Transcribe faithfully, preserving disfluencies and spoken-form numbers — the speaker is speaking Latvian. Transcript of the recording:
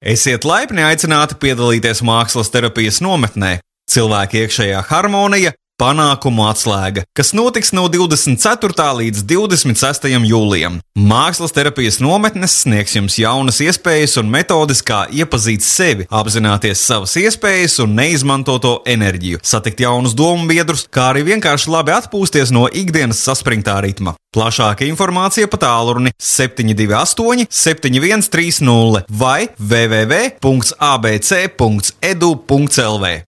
Esiet laipni aicināti piedalīties mākslas terapijas nometnē Cilvēka iekšējā harmonija, panākumu atslēga, kas notiks no divdesmit ceturtā līdz divdesmit sestajam jūlijam. Mākslas terapijas nometnes sniegs jums jaunas iespējas un metodes, kā iepazīt sevi, apzināties savas iespējas un neizmantoto enerģiju, satikt jaunus domu biedrus, kā arī vienkārši labi atpūsties no ikdienas saspringtā ritma. Plašāka informācija pa tālruni septiņi divi astoņi, septiņi viens trīs nulle vai w w w punkts a b c punkts e d u punkts l v.